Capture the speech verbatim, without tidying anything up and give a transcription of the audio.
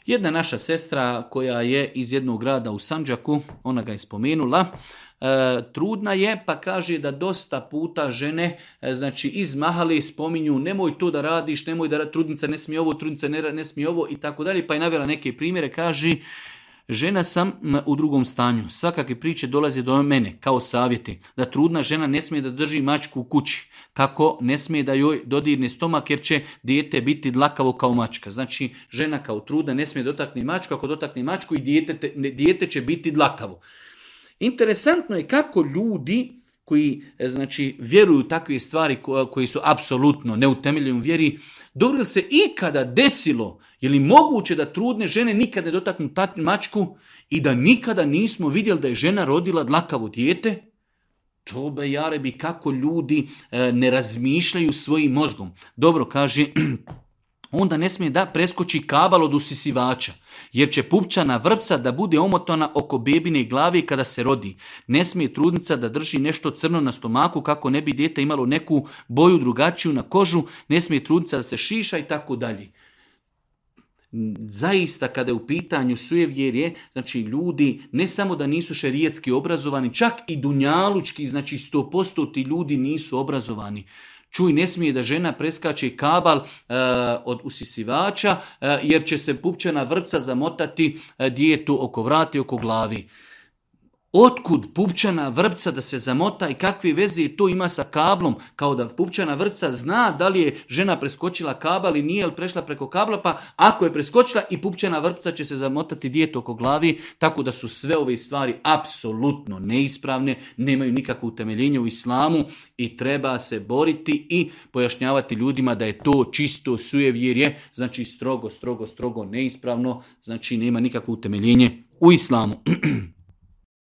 Jedna naša sestra koja je iz jednog grada u Sandžaku, ona ga je spomenula, e, trudna je pa kaže da dosta puta žene e, znači iz mahali spominju nemoj to da radiš, nemoj da trudnica ne smije ovo, trudnica ne, ne smije ovo i tako dalje, pa je navela neke primjere, kaže žena sam u drugom stanju, svakakve priče dolaze do mene kao savjeti, da trudna žena ne smije da drži mačku u kući, kako ne smije da joj dodirne stomak jer će dijete biti dlakavo kao mačka. Znači, žena kao trudna ne smije dotakni mačku, ako dotakne mačku i dijete, dijete će biti dlakavo. Interesantno je kako ljudi koji znači, vjeruju takve stvari koji su apsolutno neutemeljeni u vjeri, dobro li se ikada desilo, je li moguće da trudne žene nikada ne dotaknu mačku i da nikada nismo vidjeli da je žena rodila dlakavo dijete? To be jarebi kako ljudi e, ne razmišljaju svojim mozgom. Dobro, kaže, onda ne smije da preskoči kabal od usisivača, jer će pupčana vrpca da bude omotana oko bebine glave kada se rodi. Ne smije trudnica da drži nešto crno na stomaku kako ne bi dijete imalo neku boju drugačiju na kožu, ne smije trudnica da se šiša i tako dalje. Zaista kada je u pitanju sujevjerje, znači ljudi ne samo da nisu šerijetski obrazovani, čak i dunjalučki, znači sto posto ti ljudi nisu obrazovani. Čuj, ne smije da žena preskače kabal e, od usisivača e, jer će se pupčana vrpca zamotati e, djetetu oko vrata i oko glavi. Otkud pupčana vrpca da se zamota i kakve veze to ima sa kablom, kao da pupčana vrpca zna da li je žena preskočila kabal i nije li prešla preko kabla, pa ako je preskočila i pupčana vrpca će se zamotati djetetu oko glavi, tako da su sve ove stvari apsolutno neispravne, nemaju nikakvo utemeljenje u islamu i treba se boriti i pojašnjavati ljudima da je to čisto sujevjerje, znači strogo, strogo, strogo neispravno, znači nema nikakvo utemeljenje u islamu.